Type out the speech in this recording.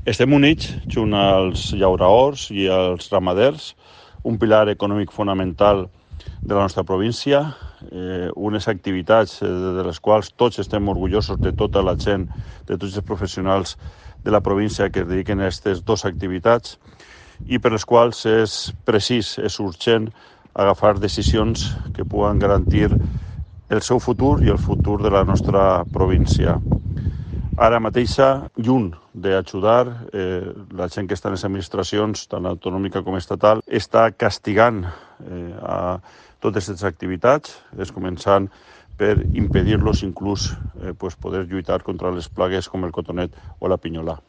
Estem units junt als llauraors i als ramaders, un pilar econòmic fonamental de la nostra província, unes activitats de les quals tots estem orgullosos de tota la gent, de tots els professionals de la província que es dediquen a aquestes dues activitats i per les quals és precís, és urgent agafar decisions que puguen garantir el seu futur i el futur de la nostra província. Ara mateixa, lluny d'ajudar, la gent que està en les administracions, tant autonòmica com estatal, està castigant a totes aquestes activitats, començant per impedir-los inclús poder lluitar contra les plagues com el cotonet o la pinyolà.